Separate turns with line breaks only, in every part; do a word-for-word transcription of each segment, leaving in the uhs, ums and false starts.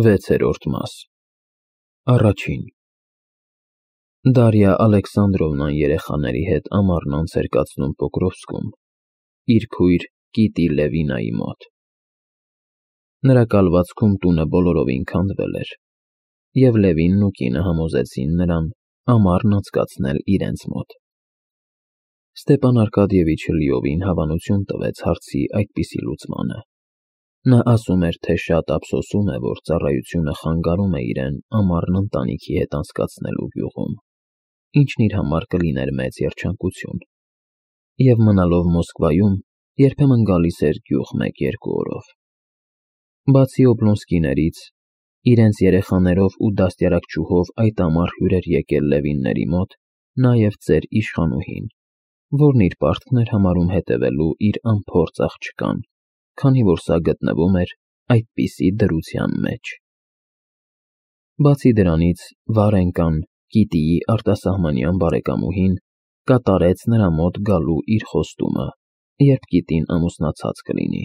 Վեցերորդ մաս Առաջին Դարիա Ալեքսանդրովնան երեխաների հետ ամառն անց էր կացնում Պոկրովսկում, իր քույր Կիտի Լևինայի մոտ։ Նրա կալվածքում տունը բոլորովին քանդվել էր, և Լևինն ու կինը համոզեցին նրան ամառն անցկացնել իրենց մոտ։ Ստեպան Արկադիևիչը լիովին հավանություն տվեց հարցի այդպիսի լուծմանը։ Նա ասում էր, թե շատ ափսոսում է, որ ծառայությունը խանգարում է իրեն ամառն ընտանիքի հետ անցկացնելու գյուղում, ինչն իր համար կլիներ մեծ երջանկություն, և մնալով Մոսկվայում երբեմն գալիս էր գյուղ մեկ-երկու օրով։ Բացի Օբլոնսկիներից, իրենց երեխաներով ու դաստիարակչուհով այդ ամառ հյուր էր եկել Լևինների մոտ նաև ծեր իշխանուհին, որն իր պարտքն էր համարում հետևելու իր անփորձ աղջկան, քանի որ սա գտնվում էր այդպիսի դրության մեջ։ Բացի դրանից, Վարենկան, Կիտիի արտասահմանյան բարեկամուհին, կատարեց նրա մոտ գալու իր խոստումը, երբ Կիտին ամուսնացած կլինի,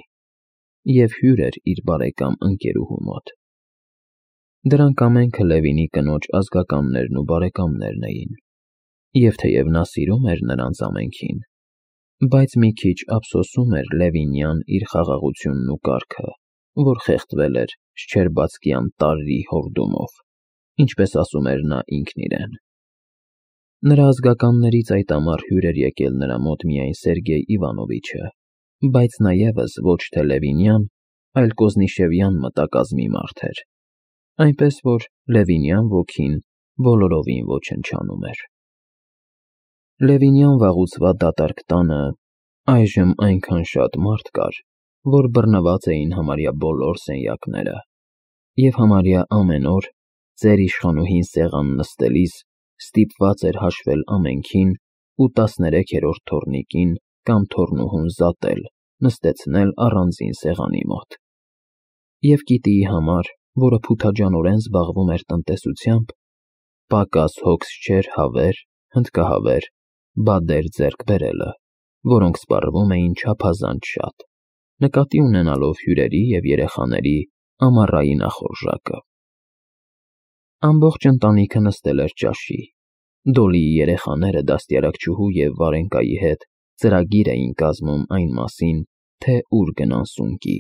և հյուր էր իր բարեկամ ընկերուհու մոտ։ Դրանք ամենքը Լևինի կնոջ ազգականներն ու բարեկամներն էին, և թեև նա սիրում էր նրանց ամենքին, բայց մի քիչ ափսոսում էր Լևինյան իր խաղաղությունն ու կարգը, որ խեղդվել էր Շչերբացկյան տարրի հորդումով, ինչպես ասում էր նա ինքն իրեն։ Նրա ազգականներից այդ ամառ հյուր էր եկել նրա մոտ միայն Սերգեյ Իվանովիչը, բայց նա ևս ոչ թե Լևինյան, այլ Կոզնիշևյան մտակազմի մարդ էր, այնպես որ Լևինյան ոգին բոլորովին ոչնչանում էր։ Լևինյան վաղուց դատարկ տանը այժմ այնքան շատ մարդ կար, որ բռնված էին համարյա բոլոր սենյակները, և համարյա ամեն օր, ծեր իշխանուհին սեղան նստելիս, ստիպված էր հաշվել ամենքին ու տասներեքերորդ թոռնիկին կամ թոռնուհուն զատել, նստեցնել առանձին սեղանի մոտ։ Եվ Կիտիի համար, որը փութաջանորեն զբաղվում էր տնտեսությամբ, պակաս հոգս չէր հավեր, հնդկահավեր, բադեր ձեռք բերելը, որոնք սպառվում էին չափազանց շատ, նկատի ունենալով հյուրերի և երեխաների ամառային ախորժակը։ Ամբողջ ընտանիքը նստել էր ճաշի, Դոլիի երեխաները դաստիարակչուհու և Վարենկայի հետ ծրագիր էին կազմում այն մասին, թե ուր գնան սունկի։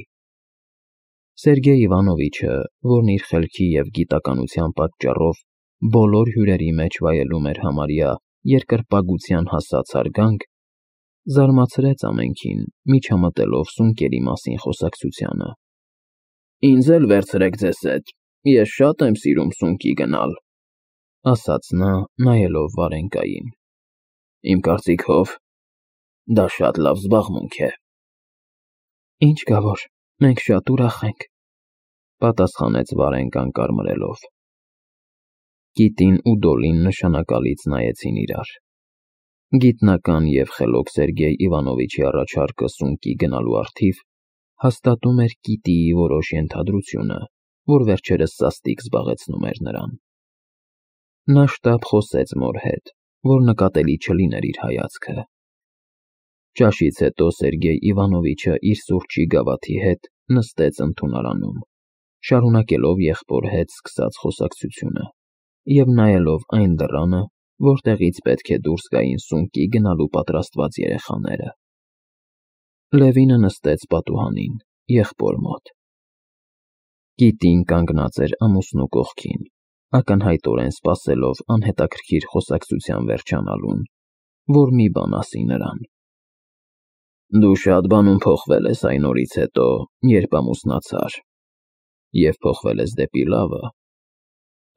Սերգեյ Իվանովիչը, որն իր խելքի և գիտականության պատճառով բոլոր հյուրերի մեջ վայելում էր համարյա երկրպագության հասած հարգանք, զարմացրեց ամենքին, միջամտելով սունկերի մասին խոսակցությանը։ «Ինձ էլ վերցրեք ձեզ հետ, ես շատ եմ սիրում սունկի գնալ», ասաց նա, նայելով Վարենկային։ «Իմ կարծիքով, դա շատ լավ զբաղմունք է»։ «Ինչ կա որ, մենք շատ ուրախ ենք», պատասխանեց Վարենկան կարմրելով։ Կիտին ու Դոլին նշանակալից նայեցին իրար։ Գիտնական և խելոք Սերգեյ Իվանովիչի առաջարկը սունկի գնալու առթիվ հաստատում էր Կիտիի որոշ ենթադրությունը, որ վերջերս սաստիկ զբաղեցնում էր նրան։ Նա շտապ խոսեց մոր հետ, որ նկատելի չլիներ իր հայացքը։ Ճաշից հետո Սերգեյ Իվանովիչը իր սուրճի գավաթի հետ նստեց ընդունարանում, շարունակելով եղբոր հետ սկսած խոսակցությունը և նայելով այն դռանը, որտեղից պետք է դուրս գային սունկի գնալու պատրաստված երեխաները։ Լևինը նստեց պատուհանին, եղբոր մոտ։ Կիտին կանգնած էր ամուսնու կողքին, ակնհայտորեն սպասելով անհետաքրքիր խոսակցության վերջանալուն, որ մի բան ասի նրան։ «Դու շատ բանում փոխվել ես այն օրից հետո, երբ ամուսնացար, և փոխվել ես դեպի լավը»,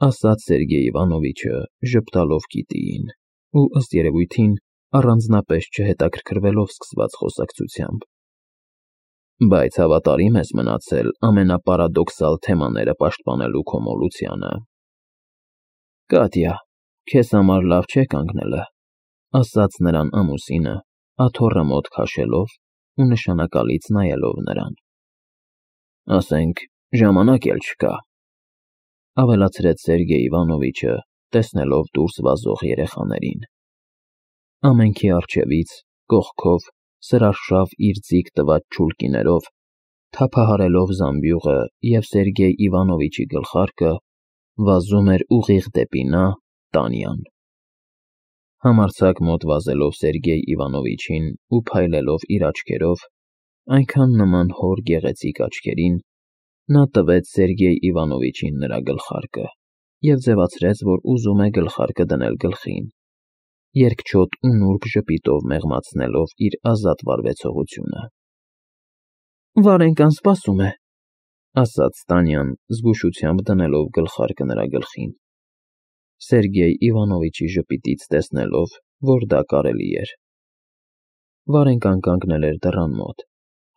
ասաց Սերգեյ Իվանովիչը, ժպտալով Կիտիին ու, ըստ երևույթին, առանձնապես չհետաքրքրվելով սկսված խոսակցությամբ։ «Բայց հավատարիմ ես մնացել ամենապարադոքսալ թեմաները պաշտպանելու քո մոլությանը»։ «Կատյա, քեզ համար լավ չէ կանգնելը», ասաց նրան ամուսինը, աթոռը մոտ քաշելով ու նշանակալից նայելով նրան։ «Ասենք, ժամանակ էլ չկա», ավելացրեց Սերգեյ Իվանովիչը, տեսնելով դուրս վազող երեխաներին։ Ամենքի առջևից, կողքով, սրարշավ իր ձիգ տված չուլկիներով, թափահարելով զամբյուղը և Սերգեյ Իվանովիչի գլխարկը, վազում էր ուղիղ դեպի նա, Տանյան։ Համարձակ մոտ վազելով Սերգեյ Իվանովիչին ու փայլելով իր աչքերով, այնքան նման հոր գեղեցիկ աչքերին, նա տվեց Սերգեյ Իվանովիչին նրա գլխարկը և ձևացրեց, որ ուզում է գլխարկը դնել գլխին, երկչոտ ու նուրբ ժպիտով մեղմացնելով իր ազատ վարվեցողությունը։ «Վարենկան սպասում է», ասաց Տանյան, զգուշությամբ դնելով գլխարկը նրա գլխին։ Սերգեյ Իվանովիչի ժպիտից տեսնելով, որ դա կարելի էր։ Վարենկան կանգնել էր դռան մոտ,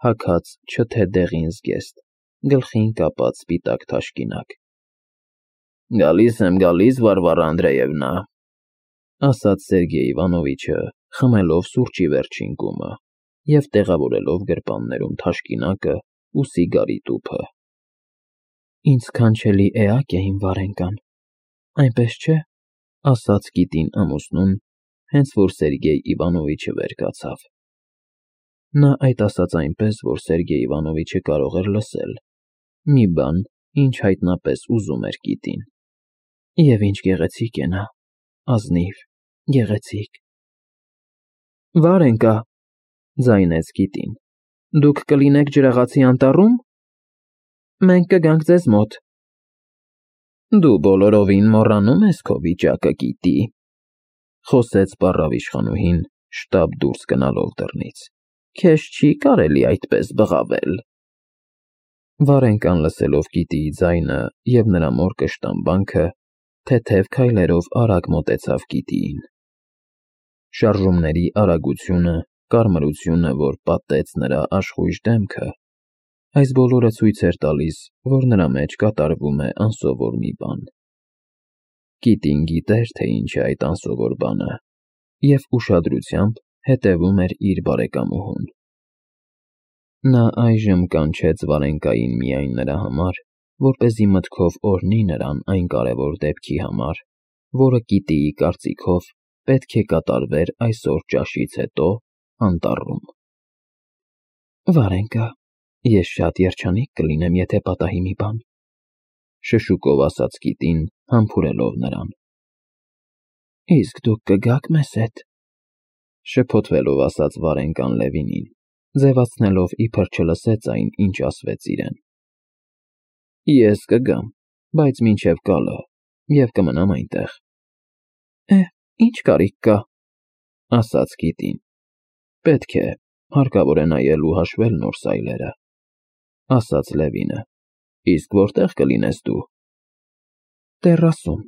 հագած չթե դեղին զգեստ, գլխին կապած սպիտակ թաշկինակ։ «Գալիս եմ, գալիս, Վարվարա Անդրեևնա», ասաց Սերգեյ Իվանովիչը, խմելով սուրճի վերջին կումը և տեղավորելով գրպաններում թաշկինակը ու սիգարի տուփը։ «Ինձ քանչելի էակ է իմ Վարենկան, այնպես չէ», ասաց կիտին ամուսնուն, հենց որ Սերգեյ Իվանովիչը վեր կացավ։ Նա այդ ասաց այնպես, որ Սերգեյ Իվանովիչը կարող էր լսել, մի բան, ինչ հայտնապես ուզում էր կիտին։ Եվ ինչ գեղեցիկ է նա, ազնիվ, գեղեցիկ։ «Վարենկա», ձայնեց կիտին, «դուք կլինեք Ջրաղացի անտառու՞մ։ Մենք կգանք ձեզ մոտ»։ «Դու բոլորովին մոռանում ես քո վիճակը, գիտի», խոսեց պառավիշխանուհին, շտապ դուրս գնալով դռնից։ «Քեզ չի կարելի այդպես բղավել»։ Վարենկան լսելով կիտիի ձայնը և նրա մոր կշտամբանքը, թեթև քայլերով արագ մոտեցավ կիտիին։ Շարժումների արագությունը, կարմրությունը, որ պատեց նրա աշխույժ դեմքը, այս բոլորը ցույց էր տալիս, որ նրա մեջ կատարվում է անսովոր մի բան։ Կիտին գիտեր, թե ինչ է այդ անսովոր բանը, և ուշադրությամբ հետևում էր իր բարեկամուհուն։ Նա այժմ կանչեց Վարենկային միայն նրա համար, որպեսզի մտքով օրհնի նրան այն կարևոր դեպքի համար, որը կիտիի կարծիքով պետք է կատարվեր այսօր ճաշից հետո անտառում։ «Վարենկա, ես շատ երջանիկ կլինեմ, եթե պատահի մի բան», շշուկով ասաց կիտին, համբուրելով նրան։ «Իսկ դուք կգաք մեզ հետ», շփոթվելով ասաց Վարենկան Լևինին, ձևացնելով, իբր չլսեց այն, ինչ ասվեց իրեն։ «Ես կգամ, բայց մինչև գալը, և կմնամ այնտեղ»։ «Է, ինչ կարիք կա», ասաց կիտին։ «Պետք է, հարկավոր է նայել ու հաշվել նոր սայլերը», ասաց Լևինը։ «Իսկ որտե՞ղ կլինես դու»։ «Տեռասում»,